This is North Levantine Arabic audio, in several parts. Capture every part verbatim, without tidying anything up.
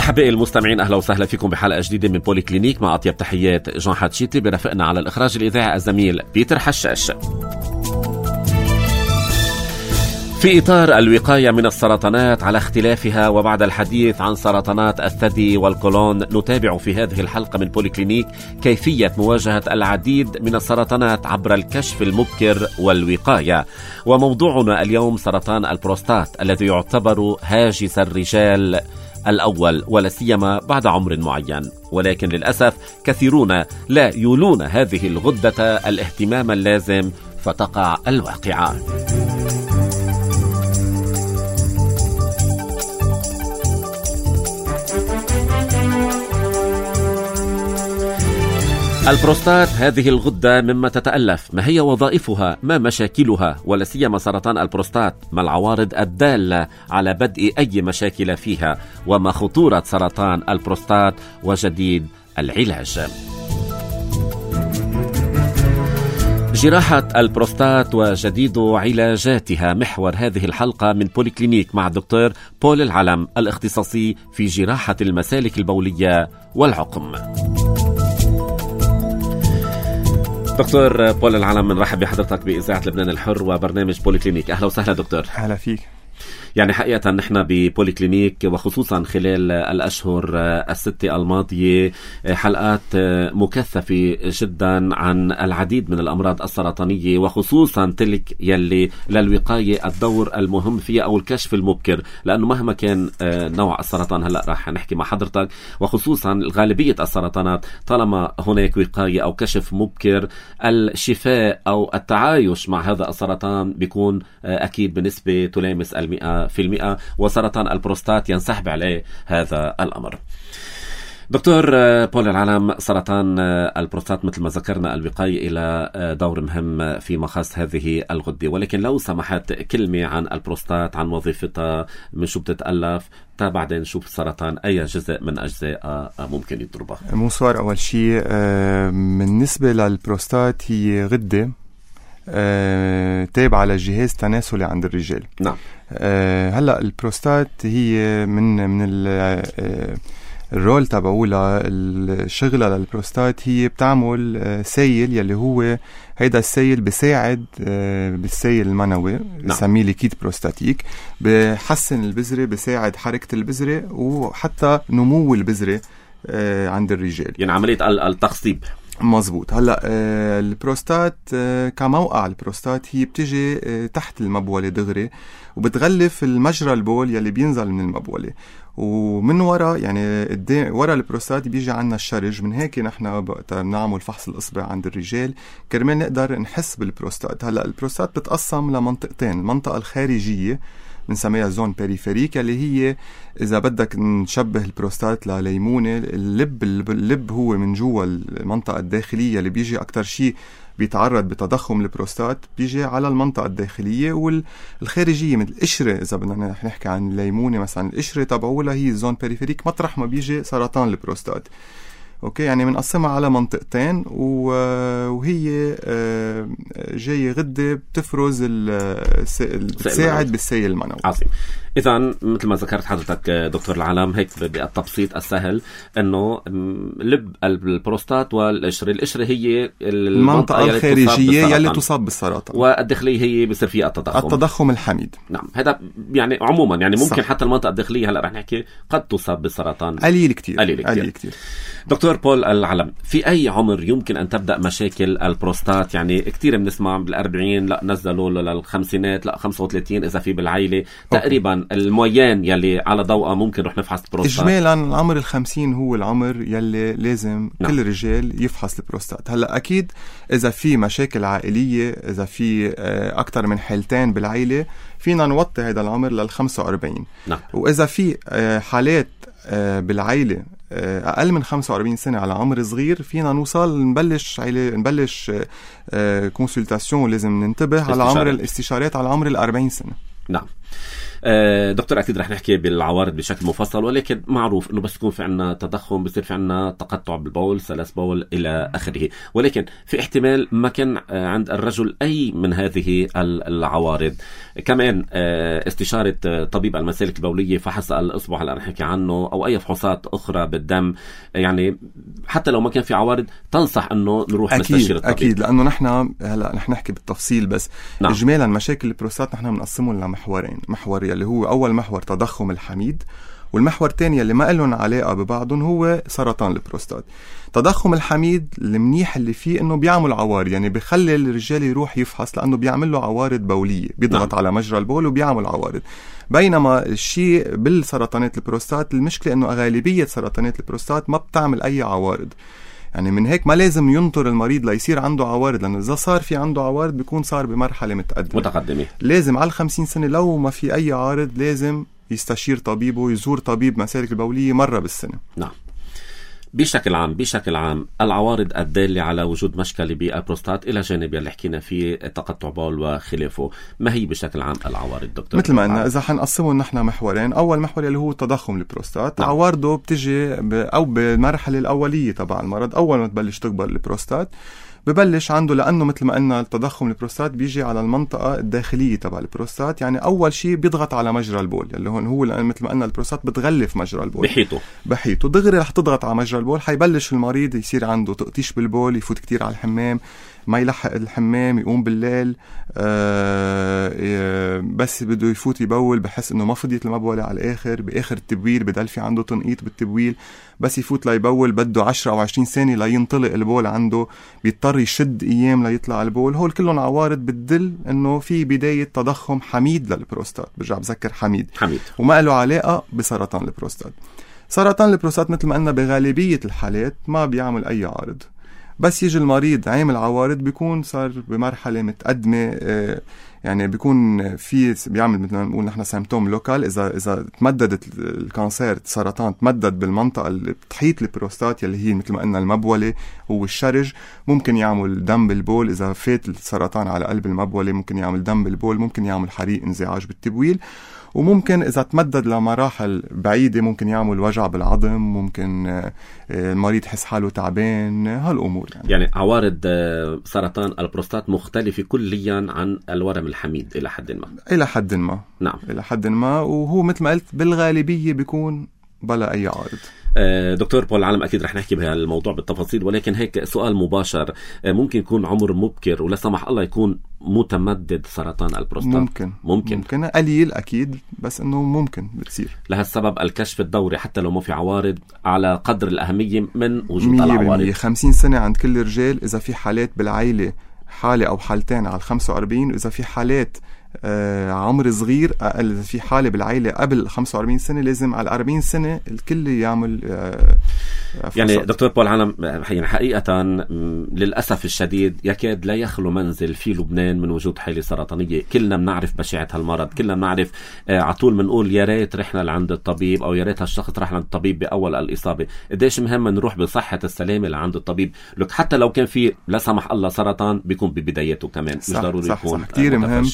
أحبائي المستمعين، أهلا وسهلا فيكم بحلقة جديدة من بولي كلينيك مع أطيب تحيات جان حاتشيتي. برافقنا على الإخراج الإذاعي الزميل بيتر حشاش. في إطار الوقاية من السرطانات على اختلافها وبعد الحديث عن سرطانات الثدي والقولون، نتابع في هذه الحلقة من بولي كلينيك كيفية مواجهة العديد من السرطانات عبر الكشف المبكر والوقاية. وموضوعنا اليوم سرطان البروستات الذي يعتبر هاجس الرجال الأول ولا سيما بعد عمر معين، ولكن للأسف كثيرون لا يولون هذه الغدة الاهتمام اللازم فتقع الواقعة. البروستات هذه الغدة مما تتألف، ما هي وظائفها، ما مشاكلها، ولا سيما سرطان البروستات، ما العوارض الدالة على بدء أي مشاكل فيها، وما خطورة سرطان البروستات وجديد العلاج. جراحة البروستات وجديد علاجاتها محور هذه الحلقة من بولي كلينيك مع الدكتور بول العلم، الاختصاصي في جراحة المسالك البولية والعقم. دكتور بول العلم، بنرحب بحضرتك بإذاعة لبنان الحر وبرنامج بولي كلينيك. أهلا وسهلا دكتور. أهلا فيك. يعني حقيقة نحن ببولي كلينيك وخصوصا خلال الأشهر الستة الماضية حلقات مكثفة جدا عن العديد من الأمراض السرطانية، وخصوصا تلك يلي للوقاية الدور المهم فيها أو الكشف المبكر، لأنه مهما كان نوع السرطان، هلأ راح نحكي مع حضرتك، وخصوصا غالبية السرطانات طالما هناك وقاية أو كشف مبكر الشفاء أو التعايش مع هذا السرطان بيكون أكيد بنسبة تلامس المئة في المئة، وسرطان البروستات ينسحب عليه هذا الأمر. دكتور بول العلم، سرطان البروستات مثل ما ذكرنا الوقاية إلى دور مهم في مخاص هذه الغدة، ولكن لو سمحت كلمة عن البروستات، عن وظيفتها، من شو بتتألف، تا بعدين نشوف السرطان أي جزء من أجزاء ممكن يضربها. مصور أول شيء بالنسبة للبروستات هي غدة أه، تابعة للجهاز التناسلي عند الرجال. نعم. أه، هلا البروستات هي من من أه الرول تبعولها، الشغلة للبروستات هي بتعمل سيل يلي هو هيدا السيل بساعد بالسيل المنوي، بسميه ليكيد بروستاتيك، بحسن البذرة، بساعد حركة البذرة وحتى نمو البذرة عند الرجال، يعني عملية التخصيب. مظبوط. هلا آه البروستات آه كموقع البروستات هي بتجي آه تحت المبولة دغري، وبتغلف المجرى البول يلي بينزل من المبولة، ومن وراء يعني قدام ورا البروستات بيجي عنا الشرج. من هيك نحن بنعمل فحص الإصبع عند الرجال كرمال نقدر نحس بالبروستات. هلا البروستات بتقسم لمنطقتين، المنطقة الخارجية بنسميها زون بيريفيريك اللي هي إذا بدك نشبه البروستات لليمونة، اللب اللب هو من جوا المنطقة الداخلية اللي بيجي أكتر شيء بيتعرض بتضخم البروستات، بيجي على المنطقة الداخلية، والخارجية مثل القشرة. إذا بدنا نحكي عن الليمونة مثلا، القشرة تبعولها هي زون بيريفيريك مطرح ما بيجي سرطان البروستات. اوكي، يعني بنقسمها على منطقتين، وهي جاي غدة بتفرز بتساعد بالسيل المنوي. عظيم. إذا مثل ما ذكرت حضرتك دكتور العلم، هيك بالتبسيط السهل انه لب البروستات والقشرة، القشرة هي المنطقة الخارجية يلي تصاب بالسرطان، والداخلية هي بصير فيها التضخم التضخم الحميد. نعم، هذا يعني عموما يعني ممكن صح. حتى المنطقة الداخلية هلا رح نحكي قد تصاب بالسرطان قليل كتير قليل كتير, قليل كتير. دكتور بول العلم، في أي عمر يمكن أن تبدأ مشاكل البروستات؟ يعني كتير بنسمع بالأربعين، لا نزلوا للخمسينات، لا خمسة وثلاثين إذا في بالعائلة. أوكي. تقريبا المويان يلي على ضوءه ممكن رح نفحص البروستات. إجمالا العمر الخمسين هو العمر يلي لازم نعم. كل رجال يفحص البروستات. هلأ أكيد إذا في مشاكل عائلية، إذا في أكتر من حالتين بالعائلة، فينا نوطي هذا العمر للخمسة وأربعين. نعم. وإذا في حالات بالعائلة أقل من خمسة وأربعين سنة على عمر صغير، فينا نوصل نبلش نبلش كونسلتاسيون، لازم ننتبه على عمر الاستشارات على عمر الأربعين سنة. نعم. دكتور أكيد رح نحكي بالعوارض بشكل مفصل، ولكن معروف أنه بس يكون في عنا تضخم بصير في عنا تقطع بالبول، سلس بول إلى آخره، ولكن في احتمال ما كان عند الرجل أي من هذه العوارض. كمان استشارة طبيب المسالك البولية، فحص الإصبع اللي رح نحكي عنه، أو أي فحوصات أخرى بالدم، يعني حتى لو ما كان في عوارض تنصح أنه نروح نستشير الطبيب. أكيد، لأنه نحن هلا رح نحكي بالتفصيل، بس نعم. إجمالا مشاكل البروستات نحن بنقسمهم لمحورين. محور اللي هو أول محور تضخم الحميد، والمحور الثاني اللي ما لهم علاقة ببعضهم هو سرطان البروستات. تضخم الحميد المنيح اللي فيه انه بيعمل عوارض، يعني بيخلي الرجال يروح يفحص لانه بيعمل له عوارض بولية، بيضغط نعم. على مجرى البول وبيعمل عوارض. بينما الشيء بالسرطانات البروستات المشكلة انه غالبية سرطانات البروستات ما بتعمل اي عوارض، يعني من هيك ما لازم ينطر المريض ليصير عنده عوارض، لأنه إذا صار في عنده عوارض بيكون صار بمرحلة متقدمة متقدمة. لازم على الخمسين سنة لو ما في أي عارض لازم يستشير طبيبه، يزور طبيب مسالك البولية مرة بالسنة. نعم. بشكل عام بشكل عام العوارض الدالة على وجود مشكلة بالبروستات إلى جانب اللي حكينا فيه تقطع بول وخلافه، ما هي بشكل عام العوارض دكتور؟ مثل ما قلنا إذا حنقسمه نحن محورين، أول محور اللي هو تضخم البروستات. نعم. عوارضه بتجي ب... أو بالمرحلة الأولية تبع المرض، أول ما تبلش تكبر البروستات ببلش عنده، لأنه مثل ما قلنا التضخم البروستات بيجي على المنطقة الداخلية تبع البروستات، يعني أول شيء بيضغط على مجرى البول، اللي هون هو لأن مثل ما قلنا البروستات بتغلف مجرى البول بحيطه بحيطه دغري رح تضغط على مجرى البول، حيبلش المريض يصير عنده تقطيش بالبول، يفوت كتير على الحمام، ما يلحق الحمام، يقوم بالليل آه بس بده يفوت يبول بحس انه ما فضيت المبولة على الاخر، باخر التبويل بدل في عنده تنقيط بالتبويل، بس يفوت ليبول بده عشرة او عشرين ثانية لينطلق البول عنده، بيضطر يشد ايام ليطلع البول. هول كلهم عوارض بتدل انه في بداية تضخم حميد للبروستات، برجع بذكر حميد حميد وما له علاقة بسرطان البروستات. سرطان البروستات مثل ما قلنا بغالبية الحالات ما بيعمل اي عارض، بس يجي المريض عامل عوارض بيكون صار بمرحلة متقدمة، يعني بيكون في بيعمل مثل ما نقول نحن سيمتوم لوكال، إذا إذا تمددت الكانسير السرطان تمدد بالمنطقة اللي بتحيط البروستات يلي هي مثل ما قلنا المبولة والشرج، ممكن يعمل دم بالبول. إذا فات السرطان على قلب المبولة ممكن يعمل دم بالبول، ممكن يعمل حريق انزعاج بالتبويل، وممكن إذا تمدد لمراحل بعيدة ممكن يعمل وجع بالعظم، ممكن المريض يحس حاله تعبان، هالأمور يعني. يعني عوارض سرطان البروستات مختلفة كليا عن الورم الحميد إلى حد ما. إلى حد ما نعم إلى حد ما، وهو مثل ما قلت بالغالبية بيكون بلا أي عارض. دكتور بول العالم أكيد رح نحكي بهالموضوع بالتفاصيل، ولكن هيك سؤال مباشر، ممكن يكون عمر مبكر ولا سمح الله يكون متمدد سرطان البروستات؟ ممكن ممكن ممكن قليل أكيد، بس إنه ممكن بتصير. لهالسبب الكشف الدوري حتى لو ما في عوارض على قدر الأهمية من وجود العوارض. خمسين سنة عند كل الرجال، إذا في حالات بالعائلة حالة أو حالتين على الخمسة وأربعين، إذا في حالات آه عمر صغير أقل، إذا في حالة بالعائلة قبل خمسة وأربعين سنة لازم على أربعين سنة الكل يعمل آه يعني دكتور بول العالم، يعني حقيقة للأسف الشديد يكاد لا يخلو منزل في لبنان من وجود حالة سرطانية. كلنا بنعرف بشاعة هالمرض، كلنا بنعرف آه عطول منقول يا ريت رحنا لعند الطبيب، أو يا ريت هالشخص راح لعند الطبيب بأول الإصابة. قديش مهم نروح بصحة السلامة لعند الطبيب، لك حتى لو كان في لا سمح الله سرطان بيكون ببدايته كمان، مش ضروري صح يكون صح كتير مهم.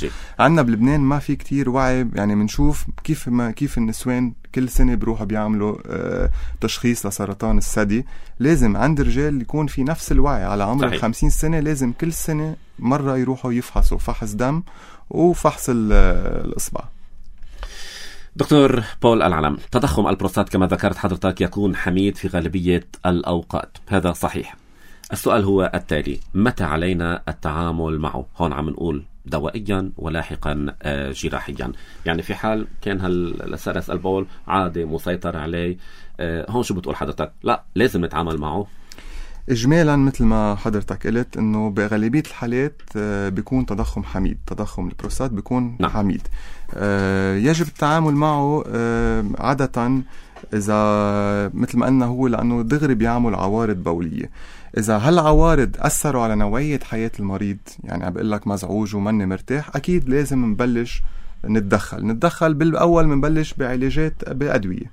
عنا بلبنان ما في كتير وعي، يعني منشوف كيف ما كيف النسوان كل سنة بروحوا بيعملوا آه تشخيص لسرطان الثدي. لازم عند الرجال يكون في نفس الوعي، على عمر الخمسين سنة لازم كل سنة مرة يروحوا يفحصوا فحص دم وفحص الإصبع. دكتور بول العلم، تضخم البروستات كما ذكرت حضرتك يكون حميد في غالبية الأوقات، هذا صحيح. السؤال هو التالي: متى علينا التعامل معه؟ هون عم نقول دوائيا ولاحقا جراحيا، يعني في حال كان هالسرس البول عادي مسيطر عليه، هون شو بتقول حضرتك؟ لا لازم نتعامل معه. إجمالا مثل ما حضرتك قلت إنه بغالبية الحالات بيكون تضخم حميد، تضخم البروستات بيكون نعم. حميد، يجب التعامل معه عادة إذا مثل ما قلنا هو لأنه دغري بيعمل عوارض بولية. إذا هالعوارض أثروا على نوعية حياة المريض، يعني عم بقول لك مزعوج ومني مرتاح، أكيد لازم نبلش نتدخل. نتدخل بالأول منبلش بعلاجات بأدوية،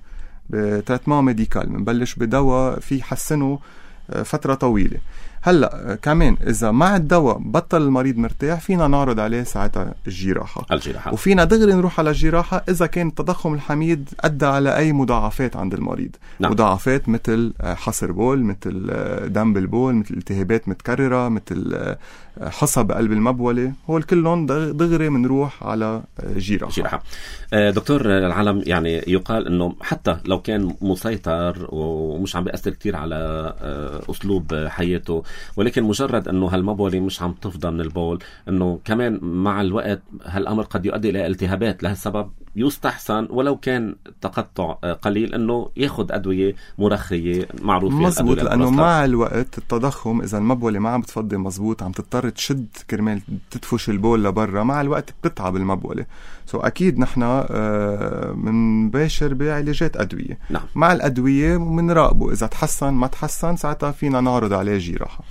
بتريتمون ميديكال، منبلش بدواء في حسنه فترة طويلة. هلا كمان اذا مع الدواء بطل المريض مرتاح فينا نعرض عليه ساعتها الجراحه الجراحه وفينا دغري نروح على الجراحه اذا كان التضخم الحميد ادى على اي مضاعفات عند المريض. نعم. مضاعفات مثل حصر بول، مثل دم بالبول، مثل التهابات متكرره، مثل حصى بقلب المبوله، هول كلهم دغري بنروح على جراحه. جراحه. دكتور العلم، يعني يقال انه حتى لو كان مسيطر ومش عم بيأثر كتير على اسلوب حياته، ولكن مجرد انه هالمبوله مش عم تفضى من البول، انه كمان مع الوقت هالامر قد يؤدي الى التهابات. لهالسبب يستحسن ولو كان تقطع قليل انه ياخذ ادويه مرخيه معروفه. مزبوط، لانه مع الوقت التضخم اذا المبوله ما عم بتفضي مزبوط عم تضطر تشد كرمال تدفش البول لبرا، مع الوقت بتتعب المبوله. سو اكيد نحن بنباشر بعلاجات ادويه. نعم. مع الادويه بنراقبه، اذا تحسن ما تحسن ساعتها فينا نعرض عليه جراحه.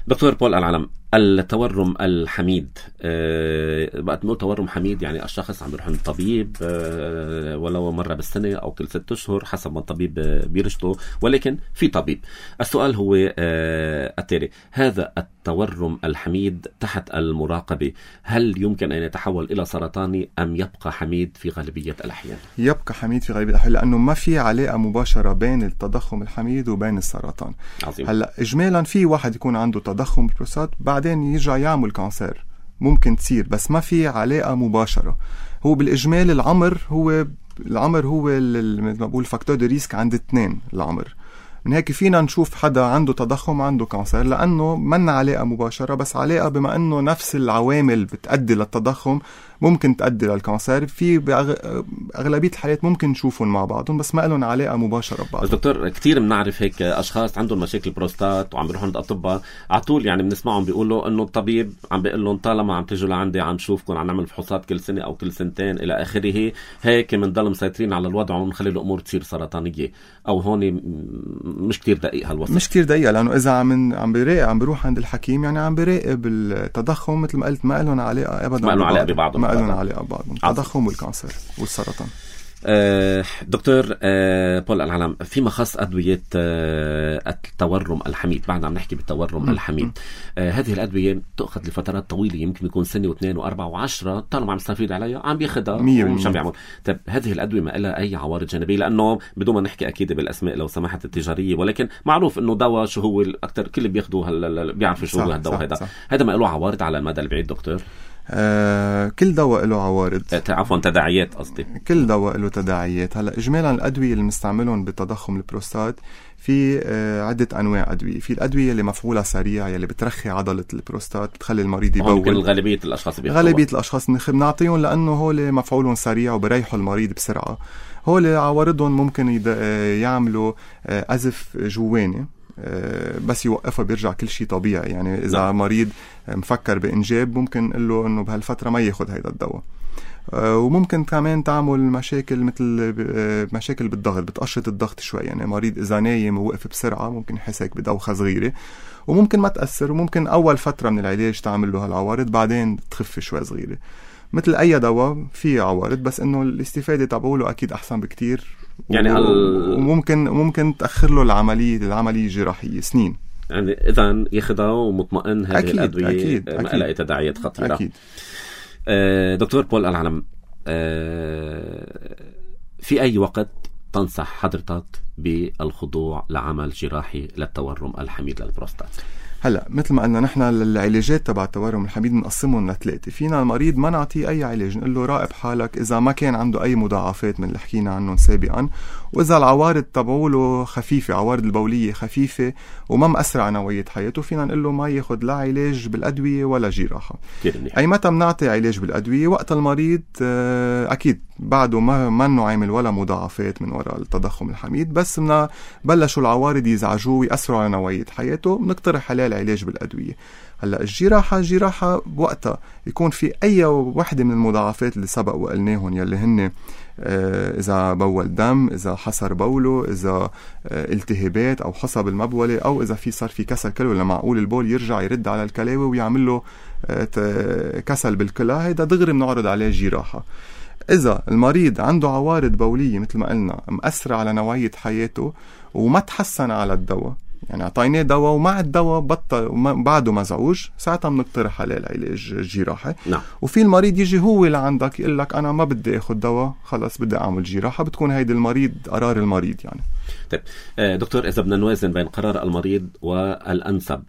دكتور بول العلم، التورم الحميد، أه بقى تقول تورم حميد يعني الشخص عم يروح عند الطبيب أه ولو مرة بالسنة أو كل ست أشهر حسب ما الطبيب بيرشده، ولكن في طبيب. السؤال هو أه التالي: هذا التورم الحميد تحت المراقبة هل يمكن أن يتحول إلى سرطاني أم يبقى حميد في غالبية الأحيان؟ يبقى حميد في غالبية الأحيان، لأنه ما في علاقة مباشرة بين التضخم الحميد وبين السرطان. عظيم. هلا إجمالا في واحد يكون عنده تضخم بالبروستات بعدين يرجع يعمل كانسر، ممكن تصير، بس ما في علاقة مباشرة. هو بالإجمال العمر هو العمر هو مثل ما بقول فاكتور دو ريسك عند اثنين العمر. من هيك فينا نشوف حدا عنده تضخم عنده كانسر، لأنه منا علاقة مباشرة، بس علاقة بما أنه نفس العوامل بتأدي للتضخم ممكن تؤدي للكانسر. في بأغلبية الحالات ممكن نشوفهم مع بعضهم، بس ما لهم علاقة مباشرة ببعض. بس دكتور كتير بنعرف هيك أشخاص عندهم مشاكل بروستات وعم بيروحوا عند أطباء على طول، يعني بنسمعهم بيقولوا إنه الطبيب عم بيقول لهم طالما عم تيجوا لعندي عم نشوفكم، عم نعمل فحوصات كل سنة أو كل سنتين إلى آخره، هيك بنضل مسيطرين على الوضع ونخلي الأمور تصير سرطانية. أو هون مش كتير دقيق هالوصف. مش كتير دقيقة، لأنه إذا عم عم بيراقب عم بيروح عند الحكيم يعني عم بيراقب التضخم مثل ما قلت، ما لهم علاقة أبدا، ما لهم علاقة ببعضهم، ما لهم علاقة ببعضهم، التضخم والكانسر والسرطان. أه دكتور أه بول العلم، فيما خص أدوية أه التورم الحميد، بعد عم نحكي بالتورم الحميد، أه هذه الأدوية تأخذ لفترات طويلة، يمكن يكون سنة واثنين وأربعة وعشرة، طالما عم يستفيد عليها عم بياخدها ومش عم بيعمل. طيب هذه الأدوية ما لها أي عوارض جانبية؟ لأنه بدون ما نحكي أكيد بالأسماء لو سمحت التجارية، ولكن معروف إنه دواء شو هو أكتر كل بياخدوه هل بيعرفوا شو هو الدواء هذا. هذا ما له عوارض على المدى البعيد دكتور؟ آه كل دواء له عوارض، عفوا تداعيات قصدي. كل دواء له تداعيات. هلا اجمالا الادويه اللي بنستعملهم بتضخم البروستات في آه عده انواع ادويه. في الادويه اللي مفعولها سريع يلي بترخي عضله البروستات، بتخلي المريض يبول. ممكن غالبيه الاشخاص بياخذوها. غالبيه الاشخاص بنعطيهم لانه هول مفعولهم سريع وبريحوا المريض بسرعه. هول عوارضهم ممكن يعملوا آه أزف جواني، بس يوقفها بيرجع كل شيء طبيعي. يعني إذا لا. مريض مفكر بإنجاب ممكن نقول له إنه بهالفترة ما ياخد هيدا الدواء. وممكن كمان تعمل مشاكل مثل مشاكل بالضغط، بتقشط الضغط شوي. يعني مريض إذا نايم ووقف بسرعة ممكن يحسك بدوخة صغيرة، وممكن ما تأثر، وممكن أول فترة من العلاج تعمل له هالعوارض بعدين تخف شوي صغيرة. مثل أي دواء فيه عوارض، بس إنه الاستفادة تبعوله أكيد أحسن بكتير. يعني وممكن ممكن تأخر له العملية العملية الجراحية سنين. يعني إذا ياخدها ومطمئن هذه أكيد الأدوية أكيد ما لها تداعيات خطيرة. أكيد. آه دكتور بول العلم، آه في أي وقت تنصح حضرتك بالخضوع لعمل جراحي للتورم الحميد للبروستات؟ هلا مثل ما قلنا نحن العلاجات تبع التورم الحميد بنقسمهم لثلاثه. فينا المريض ما نعطيه اي علاج، نقول له راقب حالك اذا ما كان عنده اي مضاعفات من اللي حكينا عنهم سابقا، واذا العوارض تبعوله خفيفه، عوارض البوليه خفيفه وما مأثر على نوعيه حياته، فينا نقول له ما ياخذ لا علاج بالادويه ولا جراحه. اي متى بنعطي علاج بالادويه؟ وقت المريض اكيد بعده ما منه عامل ولا مضاعفات من وراء التضخم الحميد، بس بدنا بلشوا العوارض يزعجوه ويأثروا على نوعيه حياته، بنقترح عليه العلاج بالادويه. هلا الجراحه جراحه بوقتها يكون في اي وحده من المضاعفات اللي سبق وقلناهم، يلي هن آه اذا بول دم، اذا حصر بوله، اذا آه التهابات او حصى بالمبوله، او اذا في صار في كسل كلوي لمعقول البول يرجع يرد على الكلاوي ويعمل له آه كسل بالكلى، هيدا دغري بنعرض عليه جراحه. إذا المريض عنده عوارض بولية مثل ما قلنا مأثرة على نوعية حياته وما تحسن على الدواء، يعني اعطيناه دواء ومع الدواء بطل بعده مزعوج، ساعتها بنقترح عليه العلاج الجراحي. نعم. وفي المريض يجي هو لعندك يقول لك انا ما بدي اخذ دواء، خلص بدي اعمل جراحه، بتكون هيدي المريض قرار المريض يعني. طيب دكتور، اذا بدنا نوازن بين قرار المريض والانسب،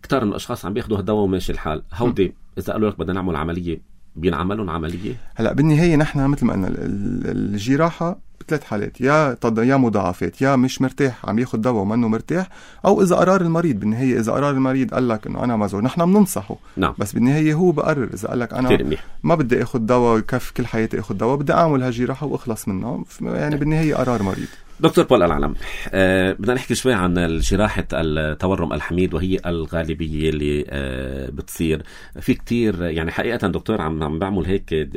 كتار من الاشخاص عم بياخذوا هالدواء وماشي الحال، هودي اذا قالوا لك بدنا نعمل عمليه بينعملون عمليه؟ هلا بالنهايه نحن مثل ما قلنا الجراحه بثلاث حالات، يا يا مضاعفات، يا مش مرتاح عم ياخذ دواء ومنه مرتاح، او اذا قرار المريض. بالنهايه اذا قرار المريض قال لك انه انا مزعوج، نحن بننصحه. نعم. بس بالنهايه هو بقرر. اذا قال لك انا ما بدي اخذ دواء كيف كل حياتي اخذ دواء، بدي اعمل هالجراحه واخلص منها، يعني بالنهايه قرار مريض. دكتور بول العلم، أه بدنا نحكي شوي عن جراحة التورم الحميد، وهي الغالبية اللي أه بتصير في كتير. يعني حقيقة دكتور عم عم بعمل هيك،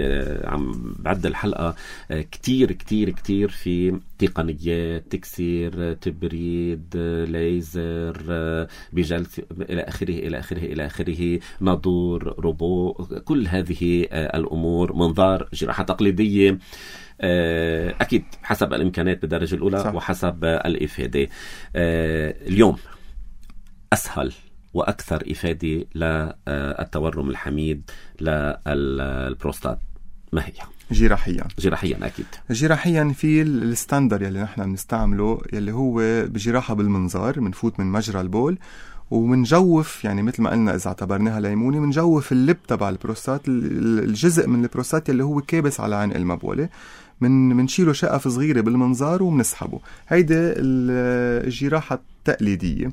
عم بعد الحلقة أه كتير كتير كتير في تقنيات تكسير، تبريد، ليزر، أه بجلس إلى آخره إلى آخره إلى آخره، ناظور، روبو، كل هذه أه الأمور، منظار، جراحة تقليدية أكيد حسب الإمكانات بالدرجة الأولى. صح. وحسب الإفادة. اليوم أسهل وأكثر إفادة للتورم الحميد للبروستات ما هي؟ جراحيا. جراحيا أكيد. جراحيا في الستاندر يلي نحن بنستعمله، يلي هو بجراحة بالمنظار، منفوت من مجرى البول ومنجوف، يعني مثل ما قلنا إذا اعتبرناها ليمونة، منجوف اللب تبع البروستات، الجزء من البروستات اللي هو كابس على عنق المبولة، من منشيله شقف صغيرة بالمنظار ومنسحبه. هيدا الجراحة التقليدية،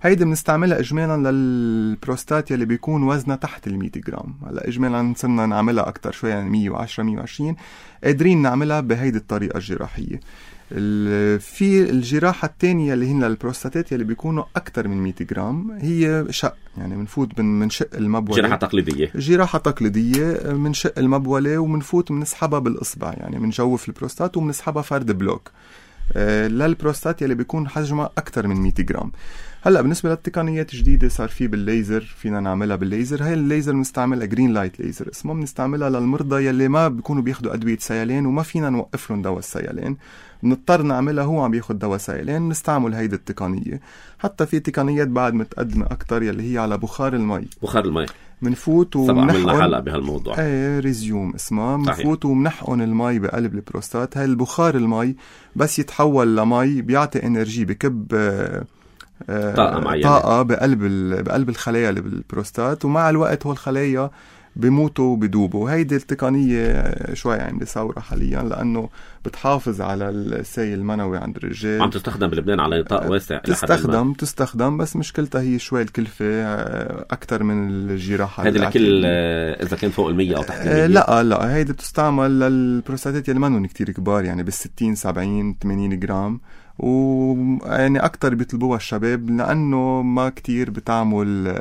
هيدا بنستعملها إجمالا للبروستات يلي بيكون وزنها تحت المية جرام. هلا إجمالا صرنا نعملها أكتر شوية، يعني مية وعشرة مية وعشرين قادرين نعملها بهيدي الطريقة الجراحية. في الجراحة الثانية اللي هن للبروستاتات يلي بيكونوا أكتر من مية جرام، هي شق، يعني منفوت من شق المبولة. جراحة تقليدية. جراحة تقليدية من شق المبولة ومنفوت ومنسحبها بالإصبع، يعني منجوف البروستات ومنسحبها فرد بلوك آه للبروستات يلي بيكون حجمها أكتر من مية جرام. هلا بالنسبة للتقنيات الجديدة صار في بالليزر، فينا نعملها بالليزر. هاي الليزر بنستعملها جرين لايت ليزر اسمه، بنستعملها للمرضى يلي ما بيكونوا بياخدوا أدوية سيلان وما فينا نوقف لهم دواء السيلان، بنضطر نعملها هو عم ياخد دواء سيلان، بنستعمل هيدي التقنية. حتى في تقنيات بعد متقدمة أكتر يلي هي على بخار المي. بخار المي منفوت ومنحقن. عملنا حلقة بهالموضوع. ايه ريزيوم اسمها. منفوت ومنحقن المي بقلب البروستات. هاي البخار المي بس يتحول لمي بيعطي انرجي، بكب طاقة معينة، طاقة بقلب بقلب الخلايا اللي بالبروستات، ومع الوقت هو الخلايا بيموتوا وبيدوبوا. هيدي التقنية شوي عم ثورة حاليا، لأنه بتحافظ على السيل المنوي عند الرجال. عم تستخدم بلبنان على نطاق واسع. تستخدم تستخدم بس مشكلتها هي شوي الكلفة أكتر من الجراحة. هيدي لكل إذا كان فوق المية أو تحت المية؟ لا لا، هيدي بتستعمل للبروستاتات اللي منهم كتير كبار، يعني بالستين سبعين ثمانين جرام، ويعني أكتر بيطلبوها الشباب لأنه ما كتير بتعمل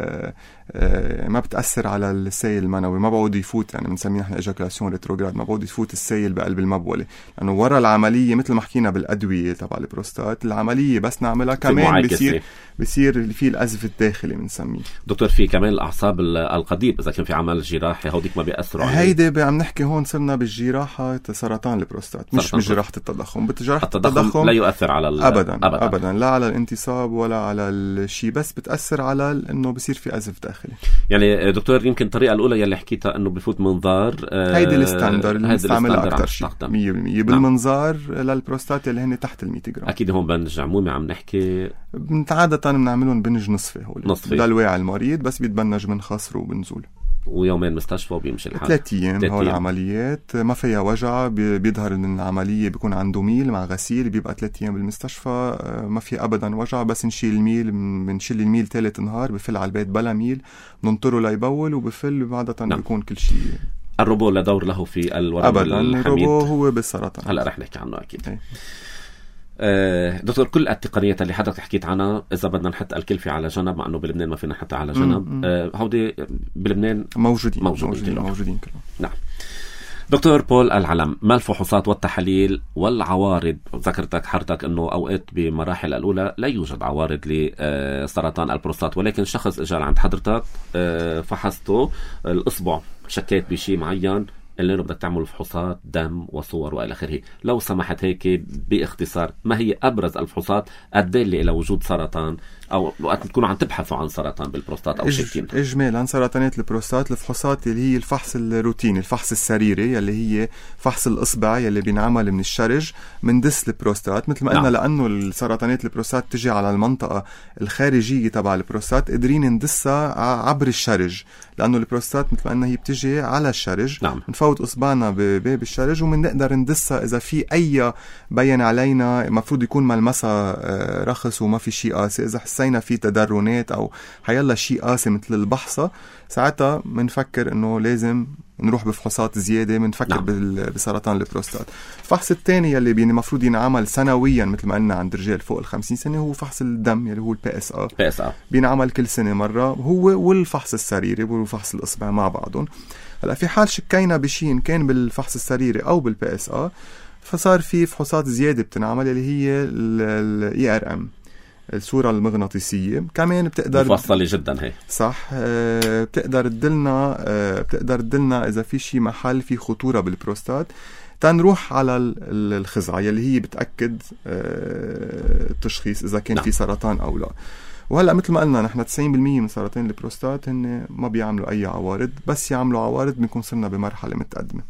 ما بتأثر على السيل المنوي، ما بعود يفوت، يعني بنسميه نحن إيجاكولاسيون ريتروغراد، ما بعود يفوت السيل بقلب المبولة، لأنه ورا العملية مثل ما حكينا بالأدوية تبع البروستات، العملية بس نعملها كمان بيصير بيصير في الأزف الداخلي بنسميه. دكتور في كمان الأعصاب القضيب إذا كان في عمل جراحي، هوديك ما بيأثروا عليه؟ هيدا عم نحكي هون صرنا بالجراحة سرطان البروستات، مش بجراحة التضخم. بجراحة التضخم, التضخم لا يؤثر على أبداً, أبداً أبداً لا على الانتصاب ولا على الشيء، بس بتأثر على إنه بصير في أزف داخلي. يعني دكتور يمكن الطريقة الأولى يلي حكيتها إنه بفوت منظار، آه هيدي الستاندر اللي بنستعملها أكتر شيء مية بالمية بالمنظار. نعم. للبروستات اللي هن تحت المية جرام. أكيد هون بنج عمومي عم نحكي عادة بنعملهم بنج نصفي، هول نصفي للواعي المريض، بس بيتبنج من خصر وبنزول، ويومين مستشفى وبيمشي الحال. ثلاث أيام هول العمليات، ما فيها وجع، بيظهر إن العملية بيكون عنده ميل مع غسيل، بيبقى ثلاث أيام بالمستشفى، ما في أبدا وجع، بس نشيل الميل، بنشيل الميل ثالث نهار، بفل على البيت بلا ميل، ننطره ليبول وبفل، وعادة نعم. بيكون كل شيء. الروبو لا دور له في الورم أبدا الحميد؟ الروبو هو بالسرطان. هلا رح نحكي عنه أكيد. هي. دكتور كل التقنيات اللي حضرتك حكيت عنها، إذا بدنا نحط الكلفة على جنب، مع أنه بلبنان ما فينا نحطها على جنب، هودي بلبنان موجودين موجودين, موجودين, موجودين كلهم. نعم. دكتور بول العلم، ما الفحوصات والتحاليل والعوارض؟ ذكرتك حضرتك أنه أوقات بمراحل الأولى لا يوجد عوارض لسرطان البروستات، ولكن شخص إجا عند حضرتك فحصته الإصبع، شكيت بشيء معين، اللي بدك تعمل فحوصات دم وصور والى اخره. لو سمحت هيك باختصار، ما هي ابرز الفحوصات الدالة الى وجود سرطان او وقت تكونوا عم تبحثوا عن سرطان بالبروستات او شاكين؟ اجمالا سرطانات البروستات الفحوصات اللي هي الفحص الروتيني، الفحص السريري اللي هي فحص الاصبع يلي بينعمل من الشرج من دس البروستات. مثل ما قلنا نعم. لانه السرطانات البروستات تجي على المنطقه الخارجيه تبع البروستات، قادرين ندسها عبر الشرج، لانه البروستات مثل ما قلنا هي بتجي على الشرج. نعم. نفوت اصبعنا بباب الشرج ومنقدر ندسها اذا في اي بين علينا مفروض يكون ملمسها رخص وما في شيء قاسي. اذا حسينا في تدرنات او حيلا شيء قاسي مثل البحصه، ساعتها منفكر انه لازم نروح بفحوصات زياده، منفكر نعم. بسرطان البروستات. الفحص الثاني يلي بين المفروض ينعمل سنويا مثل ما قلنا عند رجال فوق الخمسين سنه هو فحص الدم يلي هو البي اس ا. بي اس ا بينعمل كل سنه مره، هو والفحص السريري وفحص الاصبع مع بعضهم. هلا في حال شكينا بشيء كان بالفحص السريري او بالبي اس ا، فصار في فحوصات زياده بتنعمل اللي هي الاي ار ام، الصورة المغناطيسية، كمان بتقدر مفصلة جدا هي صح. أه بتقدر تدلنا أه بتقدر تدلنا إذا في شي محل في خطورة بالبروستات، تنروح على الخزعة يلي هي بتأكد أه التشخيص إذا كان نعم. في سرطان أو لا. وهلأ مثل ما قلنا نحن تسعين بالمية من سرطان البروستات هن ما بيعملوا أي عوارض، بس يعملوا عوارض بنكون صرنا بمرحلة متقدمة.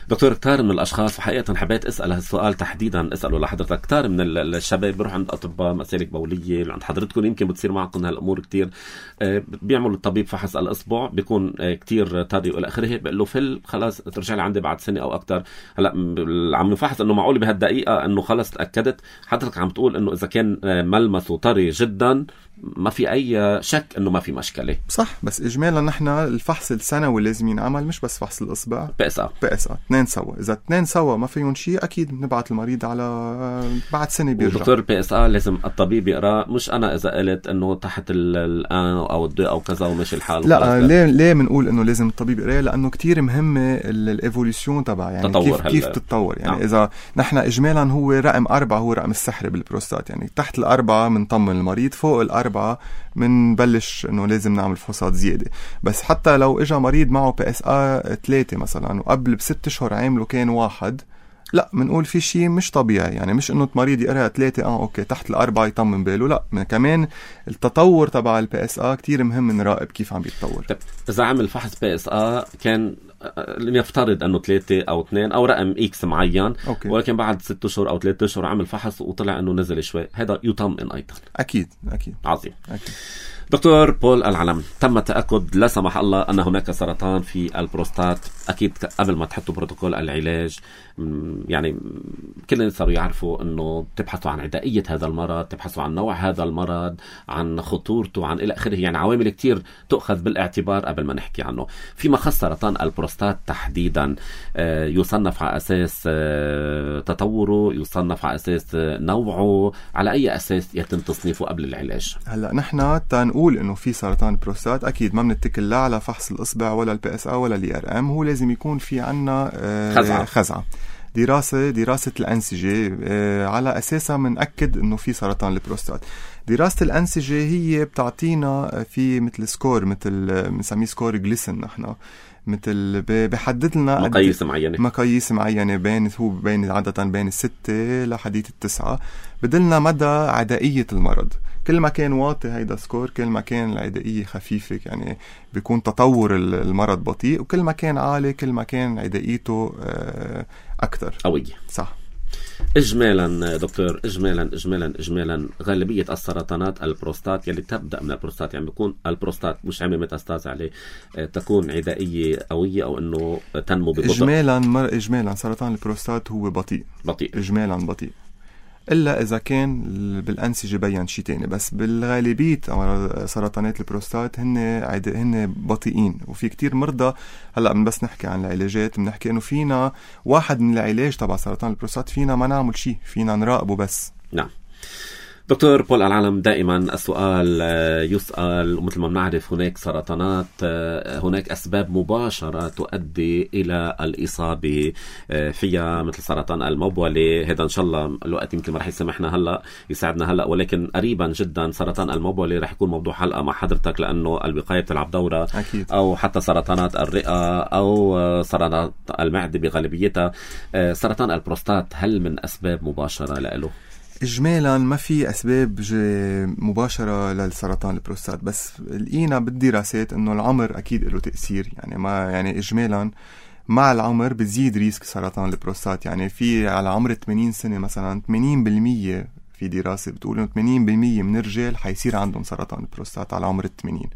دكتور، كتار من الأشخاص وحقيقة حبيت أسأل هالسؤال تحديدا أسأله لحضرتك. كتار من الشباب بيروح عند أطباء مسالك بولية، عند حضرتكم يمكن بتصير معكم هالأمور كتير، بيعملوا الطبيب فحص الإصبع بيكون كتير طري وإلى آخره، بيقول له فل خلاص ترجع لي عندي بعد سنة أو أكتر. هلا عم نفحص إنه معقول بهالدقيقة إنه خلاص تأكدت. حضرتك عم تقول إنه إذا كان ملمسه طري جدا ما في أي شك إنه ما في مشكلة. صح، بس إجمالا نحن الفحص السنوي لازم ينعمل، مش بس فحص الإصبع. بي اس ا بي اس ا اثنين سوا. إذا اثنين سوا ما فيهم شيء أكيد نبعت المريض على بعد سنة بيرجع. دكتور البي اس ا لازم الطبيب يقرأ، مش أنا إذا قلت إنه تحت الآن أو الدو أو كذا ومشي الحال. لا، ليه ليه بنقول إنه لازم الطبيب يقرأ؟ لأنه كتير مهمة الإيفوليوشن تبع يعني كيف هل... كيف تتطور يعني. نعم. إذا نحن إجمالا هو رقم أربعة هو رقم السحري بالبروستات، يعني تحت الأربعة منطمن المريض، فوق الأربعة منبلش إنه لازم نعمل فحوصات زيادة. بس حتى لو إجا مريض معه بي اس ا ثلاثة مثلا وقبل بست أشهر عامله كان واحد، لا منقول في شيء مش طبيعي. يعني مش إنه مريض يقرأ ثلاثة اه أوكي تحت الأربعة يطمن باله، لا كمان التطور تبع البي اس ا كتير مهم نراقب كيف عم بيتطور. إذا عمل فحص بي اس ا كان لنفترض أنه ثلاثة أو اثنين أو رقم إكس معين، أوكي. ولكن بعد ست أشهر أو ثلاثة أشهر عمل فحص وطلع أنه نزل شوي، هذا يطمئن أيضا. أكيد أكيد عظيم. أكيد. دكتور بول العلم، تم التأكد لا سمح الله أن هناك سرطان في البروستات. أكيد قبل ما تحطوا بروتوكول العلاج يعني كلنا صاروا يعرفوا أنه تبحثوا عن عدائية هذا المرض، تبحثوا عن نوع هذا المرض، عن خطورته، عن إلى آخره. يعني عوامل كتير تؤخذ بالاعتبار قبل ما نحكي عنه. فيما خص سرطان البروستات تحديدا، يصنف على أساس تطوره، يصنف على أساس نوعه، على أي أساس يتم تصنيفه قبل العلاج؟ هلأ نحن تنقول إنه في سرطان البروستات أكيد ما بنتكل لا على فحص الإصبع ولا البي اس ا ولا الي ار ام، هو لازم يكون في عنا خزعة. خزعة دراسة دراسة الأنسجة على أساسها منأكد إنه في سرطان البروستات. دراسة الأنسجة هي بتعطينا في مثل سكور، مثل بنسميه سكور جليسن، نحن مثل بحدد لنا مقاييس معينة مقاييس معينة بين هو بين عادة بين الستة لحديث التسعة، بدلنا مدى عدائية المرض. كل ما كان واطي هيدا سكور كل ما كان العدائية خفيفة، يعني بيكون تطور المرض بطيء، وكل ما كان عالي كل ما كان عدائيته أكتر قوية. صح. إجمالا دكتور، إجمالا إجمالا إجمالا غالبية السرطانات البروستات يلي تبدأ من البروستات، يعني بيكون البروستات مش عامل ميتاستاز عليه، تكون عدائية قوية أو إنه تنمو ببطء. إجمالا مر إجمالا سرطان البروستات هو بطيء بطيء إجمالا بطيء، إلا إذا كان بالأنسجة بيّن شيء تاني. بس بالغالبية سرطانات البروستات هن عد... هن بطيئين. وفي كتير مرضى هلأ من بس نحكي عن العلاجات بنحكي إنه فينا واحد من العلاج تبع سرطان البروستات فينا ما نعمل شيء، فينا نراقبه بس. نعم. دكتور بول العلم، دائما السؤال يسأل، ومثل ما بنعرف هناك سرطانات هناك أسباب مباشرة تؤدي إلى الإصابة فيها، مثل سرطان المبولة. هذا إن شاء الله الوقت يمكن ما رح يسمحنا هلأ يساعدنا هلأ، ولكن قريبا جدا سرطان المبولة رح يكون موضوع حلقة مع حضرتك، لأنه الوقاية بتلعب دورة أكيد. أو حتى سرطانات الرئة أو سرطانات المعدة بغالبيتها. سرطان البروستات هل من أسباب مباشرة له؟ إجمالا ما في أسباب مباشرة للسرطان البروستات، بس لقينا بالدراسات إنه العمر أكيد له تأثير. يعني ما يعني إجمالا مع العمر بتزيد ريسك سرطان البروستات. يعني في على عمر ثمانين سنة مثلا ثمانين بالمية في دراسة بتقول إنه ثمانين بالمية من الرجال حيصير عندهم سرطان البروستات على عمر الثمانين.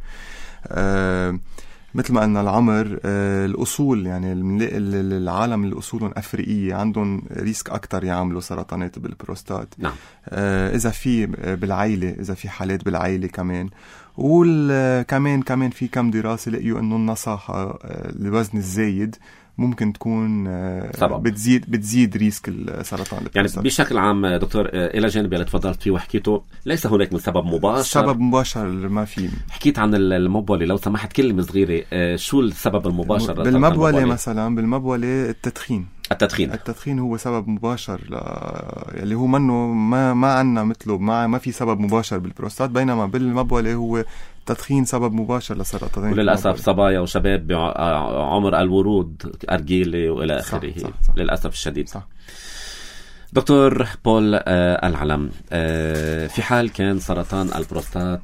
أه مثل ما قلنا العمر، آه الأصول، يعني العالم اللي أصولهم أفريقية عندهم ريسك أكتر يعملوا سرطانات بالبروستات. نعم. آه إذا في بالعائلة، إذا في حالات بالعائلة كمان. وكمان كمان في كم دراسة لقيوا إنه النصاحة، آه الوزن الزايد ممكن تكون بتزيد بتزيد ريسك السرطان البروستات. يعني بشكل عام دكتور، الى جانب اللي تفضلت فيه وحكيته، ليس هناك من سبب مباشر. سبب مباشر ما في. حكيت عن المبولة، لو سمحت كلمة صغيرة، شو السبب المباشر بالمبولة؟ مثلا بالمبولة التدخين. التدخين التدخين هو سبب مباشر ل... اللي هو منه ما ما عنا مثله، ما ما في سبب مباشر بالبروستات، بينما بالمبولة هو التدخين سبب مباشر لسرطان. وللأسف صبايا وشباب بعمر الورود، أرجيلة وإلى آخره. صح صح صح. للأسف الشديد. صح. دكتور بول آه العلم، آه في حال كان سرطان البروستات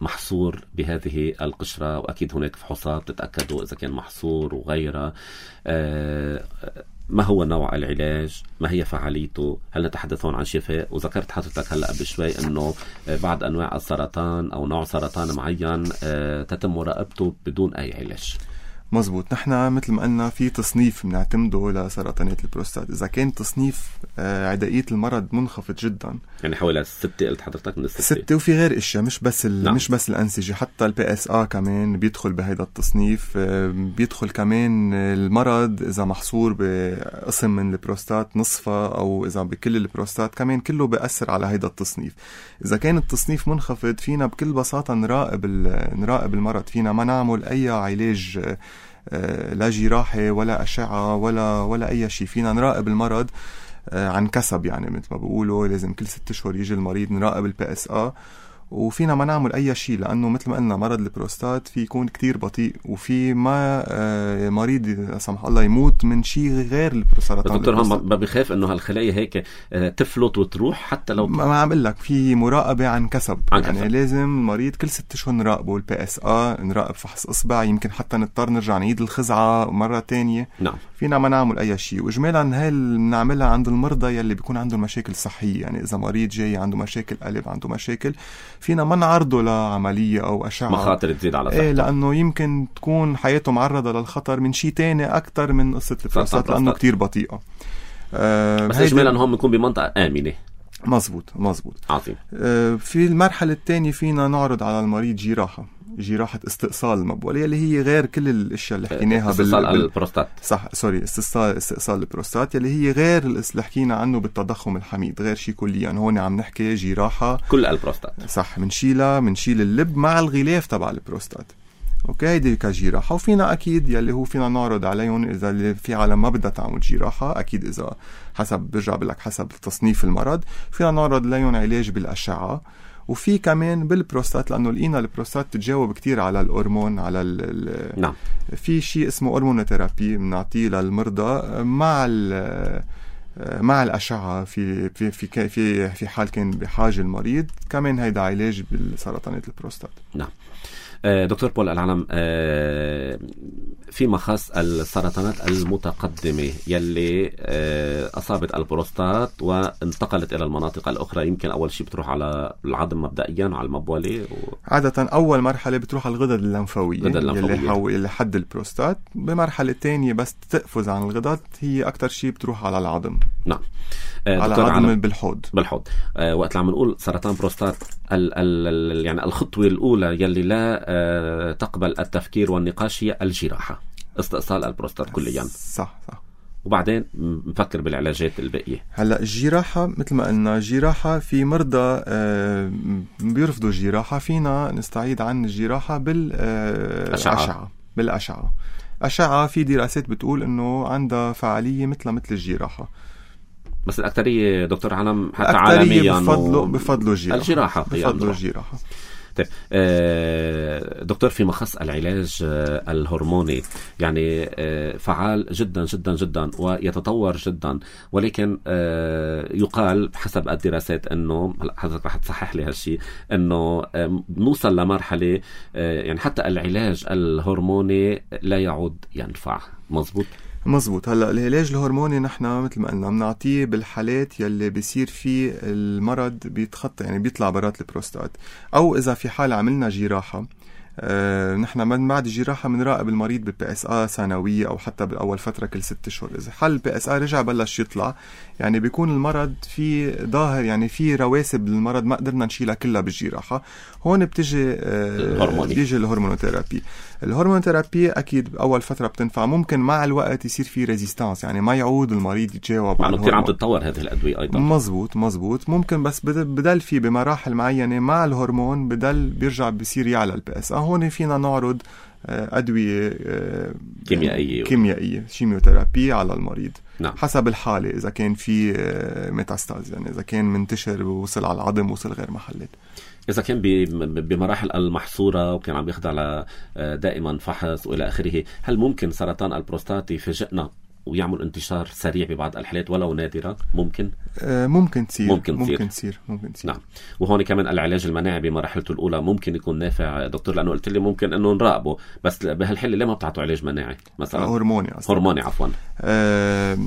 محصور بهذه القشرة، وأكيد هناك فحوصات تتأكدوا إذا كان محصور وغيرها، آه ما هو نوع العلاج؟ ما هي فعاليته؟ هل نتحدث هون عن شفاء؟ وذكرت حضرتك هلأ قبل شوي أنه بعض أنواع السرطان أو نوع سرطان معين تتم مراقبته بدون أي علاج. مزبوط. نحن مثل ما قلنا في تصنيف بنعتمده لسرطانات البروستات. إذا كان تصنيف عدائية المرض منخفض جدا، يعني حوالي ستة، قلت حضرتك من الستة. ستة، وفي غير إشياء، مش بس نعم. مش بس الأنسجة، حتى البي اس آ كمان بيدخل بهذا التصنيف. بيدخل كمان المرض إذا محصور بقسم من البروستات نصفه، أو إذا بكل البروستات كمان كله بيأثر على هذا التصنيف. إذا كان التصنيف منخفض، فينا بكل بساطة نراقب نراقب المرض. فينا ما نعمل أي علاج، لا جراحة ولا أشعة ولا ولا أي شيء. فينا نراقب المرض عن كسب، يعني مثل ما بيقولوا لازم كل ست أشهر يجي المريض نراقب البي اس آ، وفينا ما نعمل أي شيء، لأنه مثل ما قلنا مرض البروستات في يكون كتير بطيء، وفي ما مريض لا سمح الله يموت من شيء غير السرطان. دكتور هم ما بيخاف إنه هالخلايا هيك تفلت وتروح حتى لو ما عم لك في مراقبة عن كسب. عن يعني كسب. لازم المريض كل ست أشهر نراقبه البي اس آ، نراقب فحص إصبع، يمكن حتى نضطر نرجع نعيد الخزعة مرة تانية. نعم. فينا ما نعمل أي شيء. وإجمالا هاي بنعملها عند المرضى يلي بيكون عندهم مشاكل صحية. يعني إذا مريض جاي عنده مشاكل قلب، عنده مشاكل، فينا ما نعرضه لعملية أو أشعة، مخاطر تزيد على صحته. إيه، لأنه يمكن تكون حياته معرضة للخطر من شيء تاني أكتر من قصة البروستات، لأنه كتير بطيئة. آه بس إجمالا هم بنكون بمنطقة آمنة. مزبوط مزبوط. عظيم. آه في المرحلة الثانية فينا نعرض على المريض جراحة جراحة استئصال المبولة، اللي هي غير كل الاشياء اللي حكيناها. استئصال بال... البروستات. صح، سوري، استئصال استئصال البروستات، اللي هي غير اللي حكينا عنه بالتضخم الحميد، غير شيء كليا. يعني هون عم نحكي جراحة كل البروستات. صح، منشيلها منشيل اللب مع الغلاف تبع البروستات. اوكي، هيدي كجراحة. وفينا اكيد يلي هو فينا نعرض عليهم اذا اللي في عالم ما بدها تعمل جراحة، اكيد اذا حسب برجع بلك حسب تصنيف المرض، فينا نعرض عليهم علاج بالاشعة. وفي كمان بالبروستات، لأنه لقينا البروستات تتجاوب كتير على الهرمون، على ال نعم. في شيء اسمه هرمونوثيرابي بنعطيه للمرضى مع مع الأشعة في في في في في حال كان بحاجة المريض. كمان هيدا علاج بالسرطانات البروستات. نعم. دكتور بول العلم، فيما خص السرطانات المتقدمة يلي أصابت البروستات وانتقلت إلى المناطق الأخرى، يمكن أول شيء بتروح على العظم مبدئيا على المبولة و... عادة أول مرحلة بتروح على الغدد اللمفاوية اللي, حو... اللي حد البروستات. بمرحلة تانية بس تقفز عن الغدد، هي أكتر شيء بتروح على العظم. نعم. على العظم بالحوض بالحوض. أه وقت عم نقول سرطان بروستات، ال ال يعني الخطوة الأولى يلي لا أه تقبل التفكير والنقاش هي الجراحة، استئصال البروستات كليا. صح صح. وبعدين نفكر بالعلاجات الباقية. هلا الجراحة مثل ما قلنا الجراحة في مرضى آه بيرفضوا الجراحة، فينا نستعيد عن الجراحة بالأشعة. بالأشعة أشعة في دراسات بتقول إنه عندها فعالية مثل مثل الجراحة، بس الأكترية دكتور علم حتى عالميا بفضلوا بفضلوا الجراحة. الجراحة بفضلوا الجراحة. طيب دكتور، في مخص العلاج الهرموني يعني فعال جدا جدا جدا ويتطور جدا، ولكن يقال حسب الدراسات انه حضرتك رح تصحح لي هالشيء انه نوصل لمرحلة يعني حتى العلاج الهرموني لا يعود ينفع. مزبوط؟ مزبوط. هلا العلاج الهرموني نحن مثل ما قلنا بنعطيه بالحالات يلي بيصير فيه المرض بيتخطى يعني بيطلع برات البروستات، او اذا في حال عملنا جراحه آه، نحن من بعد الجراحة بنراقب المريض بالبي اس ا سنوية أو حتى بأول فترة كل ست أشهر. إذا حل البي اس ا رجع بلش يطلع يعني بيكون المرض في ظاهر يعني في رواسب للمرض ما قدرنا نشيلها كلها بالجراحة، هون بتجي آه بيجي الهرمونوثيرابي. الهرمونوثيرابي أكيد بأول فترة بتنفع، ممكن مع الوقت يصير في ريزيستانس يعني ما يعود المريض يتجاوب على كثير عم تتطور هذه الأدوية أيضا. مزبوط مزبوط ممكن، بس بدل في بمراحل معينة مع الهرمون بدل بيرجع بيصير يعلى البي اس ا. هون فينا نعرض أدوية كيميائية كيميائية شيميوثيرابي على المريض. نعم. حسب الحالة، إذا كان في ميتاستاز يعني إذا كان منتشر ووصل على العظم وصل غير محلات. إذا كان بمراحل المحصورة وكان عم يخضع على دائما فحص وإلى آخره، هل ممكن سرطان البروستات يفاجئنا ويعمل انتشار سريع ببعض الحالات ولو نادرة؟ ممكن آه ممكن تصير ممكن تصير ممكن تصير ممكن تصير نعم. وهون كمان العلاج المناعي بمراحلته الأولى ممكن يكون نافع دكتور، لأنه قلت لي ممكن إنه نراقبه، بس بهالحالة ليه ما بتعطوا علاج مناعي مثلا؟ هرموني أصلا. هرموني عفوا. آه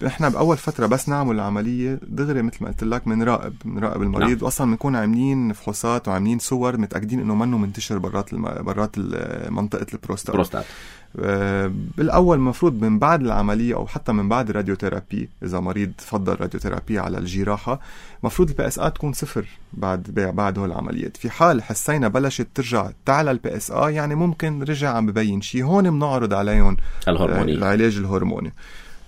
إحنا بأول فترة بس نعمل العملية دغري مثل ما قلت لك بنراقب بنراقب المريض. نعم. وأصلا بنكون عاملين فحوصات وعاملين صور متأكدين إنه منه منتشر برات الم... برات منطقة البروستات. بروستات. آه بالأول مفروض من بعد العملية أو حتى من بعد الراديوثيرابي، إذا مريض فضل راديوثيرابي على الجراحة مفروض البي اس ا تكون صفر بعد بعد هول العمليات. في حال حسينا بلشت ترجع تعلى البي اس ا يعني ممكن رجع عم ببين شيء، هون بنعرض عليهم الهرموني. العلاج الهرموني.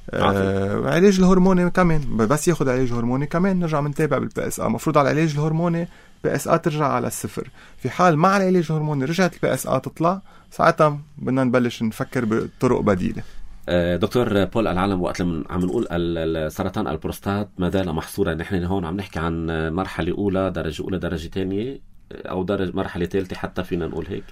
آه العلاج الهرموني كمان بس ياخد علاج هرموني كمان نرجع منتابع بالبي اس ا. مفروض على العلاج الهرموني البي اس ا ترجع على الصفر. في حال مع العلاج الهرموني رجعت البي اس ا تطلع، ساعتها بدنا نبلش نفكر بطرق بديلة. دكتور بول العالم، وقت لما عم نقول سرطان البروستات ما زال محصورة، نحن هون عم نحكي عن مرحلة أولى، درجة أولى، درجة ثانية، أو درجة مرحلة ثالثة حتى فينا نقول هيك؟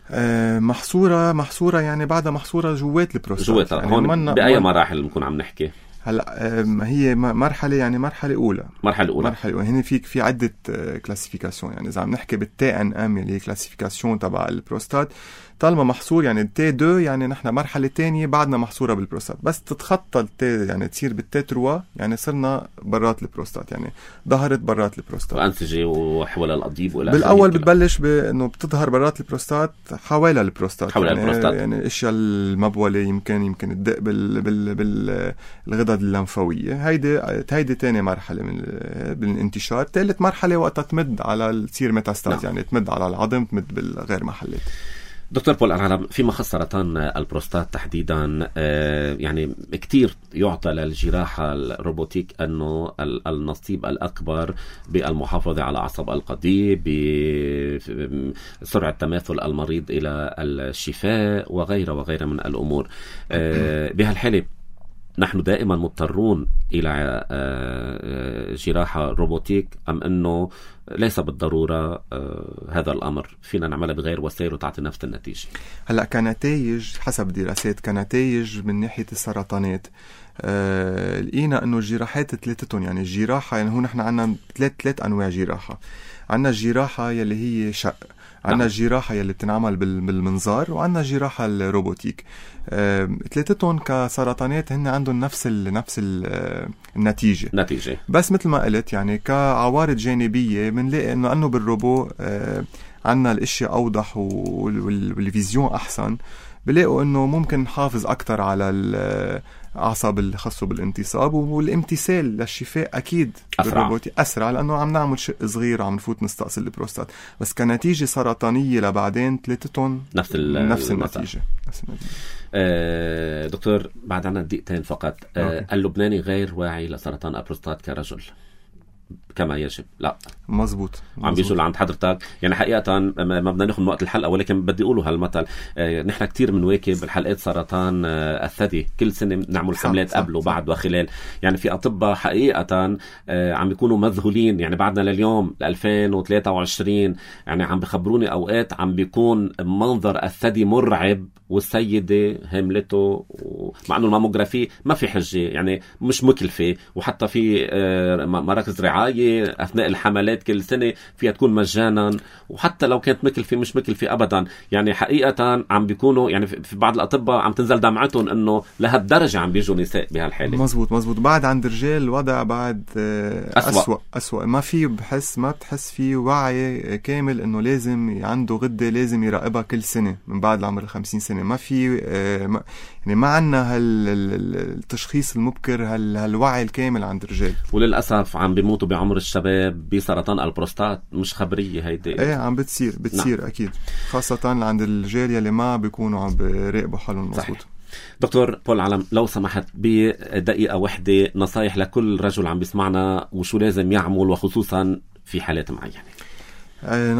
أه محصورة محصورة يعني بعدها محصورة جوات البروستات. جوات يعني هون بأي مراحل بنكون عم نحكي؟ هلا هي مرحله يعني مرحله اولى مرحله اولى مرحله اولى هنا فيك في عده كلاسيفيكاسيون. يعني اذا عم نحكي بالتي ان ام اللي هي كلاسيفيكاسيون تبع البروستات، طالما محصور يعني التي اثنين يعني نحن مرحله ثانيه بعدنا محصوره بالبروستات، بس تتخطى التي يعني تصير بالتي ثلاثة يعني صرنا برات البروستات، يعني ظهرت برات البروستات وانسجه وحول القضيب ولا بالاول بتبلش بانه بتظهر برات البروستات حوالي البروستات حول يعني البروستات يعني الاشياء المبوله يمكن يمكن الدق بال بال بالغدد اللمفاويه. هيدي هيدي ثاني مرحله من بالانتشار. ثالث مرحله وقتها تمد على تصير ميتاستاز. نعم. يعني تمد على العظم، تمد بالغير محلات. دكتور بول العالم، في مخص سرطان البروستات تحديدا يعني كتير يعطى للجراحة الروبوتيك أنه النصيب الأكبر بالمحافظة على عصب القضيب، بسرعة تماثل المريض إلى الشفاء وغيره وغيره من الأمور. بهالحالة نحن دائما مضطرون إلى جراحة روبوتيك، أم أنه ليس بالضرورة هذا الأمر فينا نعمله بغير وسائل وتعطي نفس النتيجة؟ هلأ كنتائج حسب دراسات كنتائج من ناحية السرطانات أه لقينا أنه الجراحات ثلاثتهم يعني الجراحة يعني هون نحن عنا ثلاث ثلاث أنواع جراحة. عنا الجراحة يلي هي شق، عنا الجراحة يلي بتنعمل بالمنظار، وعنا الجراحة الروبوتيك. أه، ثلاثتهم كسرطانات هن عندهم نفس ال نفس ال النتيجة نتيجة. بس مثل ما قلت يعني كعوارض جانبية بنلاقي انه انه بالروبو أه عنا الاشياء اوضح والفيزيون احسن. بلاقوا انه ممكن نحافظ اكتر على الاعصاب اللي خاصه بالانتصاب، والامتثال للشفاء اكيد اسرع اسرع لانه عم نعمل شق صغير وعم نفوت نستأصل البروستات. بس كنتيجه سرطانيه لبعدين ثلاثتهم نفس نفس النتيجه نفس النتيجه. آه دكتور بعد عنا دقيقتين فقط. آه اللبناني غير واعي لسرطان البروستات كرجل كما يجب؟ لا مزبوط, مزبوط. عم بيجوا لعند حضرتك يعني حقيقة ما بدنا ناخذ من وقت الحلقة، ولكن بدي أقوله هالمثل. آه نحن كتير منواكب الحلقات سرطان آه الثدي، كل سنة نعمل حملات قبل وبعد وخلال. يعني في أطباء حقيقة آه عم بيكونوا مذهولين، يعني بعدنا لليوم ألفين وثلاثة وعشرين يعني عم بخبروني أوقات عم بيكون منظر الثدي مرعب والسيدة هملته، مع أنه الماموغرافي ما في حجة يعني مش مكلفة، وحتى في آه مراكز رعاية أثناء الحملات كل سنة فيها تكون مجانا، وحتى لو كانت مكلفة مش مكلفة أبدا. يعني حقيقة عم بيكونوا يعني في بعض الأطباء عم تنزل دمعتهم أنه لهالدرجة عم بيجوا نساء بهالحالة. مزبوط مزبوط. بعد عند الرجال الوضع بعد أسوأ أسوأ, أسوأ. ما في بحس ما بتحس فيه وعي كامل أنه لازم عنده غدة لازم يراقبها كل سنة من بعد العمر الخمسين سنة. ما في يعني ما عنا هالتشخيص المبكر هالوعي الكامل عند الرجال، وللأسف عم بيموتوا بعمر الشباب بسرطان البروستات. مش خبرية هيدي؟ ايه عم بتصير بتصير نعم. اكيد خاصة عند الرجال يلي ما بيكونوا عم بيراقبوا حالهم مظبوط. دكتور بول العلم لو سمحت بدقيقة واحدة نصايح لكل رجل عم بيسمعنا وشو لازم يعمل وخصوصا في حالات معينة.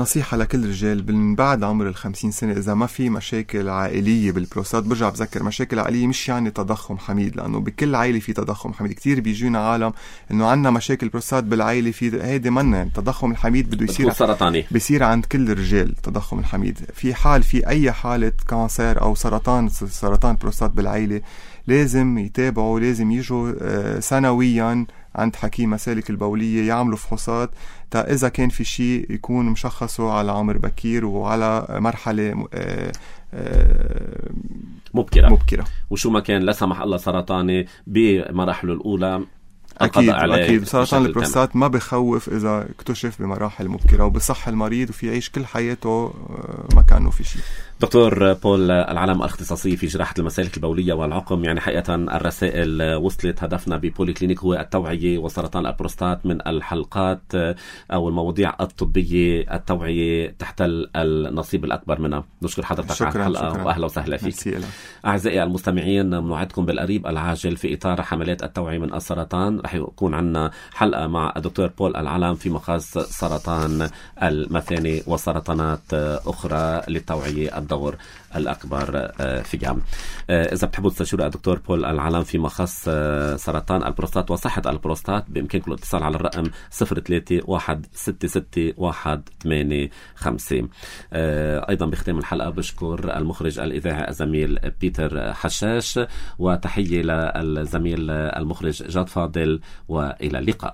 نصيحة لكل رجال من بعد عمر الخمسين سنة إذا ما في مشاكل عائلية بالبروستات. برجع بذكر مشاكل عائلية مش يعني تضخم حميد، لأنه بكل عائلة في تضخم حميد. كتير بيجينا عالم إنه عنا مشاكل بروستات بالعائلة، في هيدي منا التضخم الحميد بده يصير سرطاني، بيصير عند كل الرجال تضخم الحميد. في حال في أي حالة كانسر أو سرطان سرطان بروستات بالعائلة لازم يتابعوا، لازم يجوا سنويا عند حكيم مسالك البولية يعملوا فحوصات تا إذا كان في شيء يكون مشخصه على عمر بكير وعلى مرحلة مبكرة مبكرة وشو ما كان لا سمح الله سرطاني بمراحله الأولى. أكيد أكيد سرطان البروستات ما بخوف إذا اكتشف بمراحل مبكرة وبصح المريض وفي يعيش كل حياته ما كانه في شيء. دكتور بول العلم الاختصاصي في جراحة المسالك البولية والعقم، يعني حقيقة الرسائل وصلت. هدفنا ببولي كلينيك هو التوعية وسرطان البروستات من الحلقات أو المواضيع الطبية. التوعية تحتل النصيب الأكبر منها. نشكر حضرتك على الحلقة وأهلا وسهلا فيك. أعزائي المستمعين نوعدكم بالقريب العاجل في إطار حملات التوعية من السرطان. رح يكون عنا حلقة مع الدكتور بول العلم في مخص سرطان المثانة وسرطانات أخرى للتوعية الدور الأكبر فيها. إذا بتحبوا تستشيروا الدكتور بول العلم في مخص سرطان البروستات وصحة البروستات بإمكانكم الاتصال على الرقم صفر ثلاثة واحد ستة ستة واحد ثمانية خمسة. أيضا بختام الحلقة بشكر المخرج الإذاعي الزميل بيتر حشاش، وتحية للزميل المخرج جاد فاضل، وإلى اللقاء.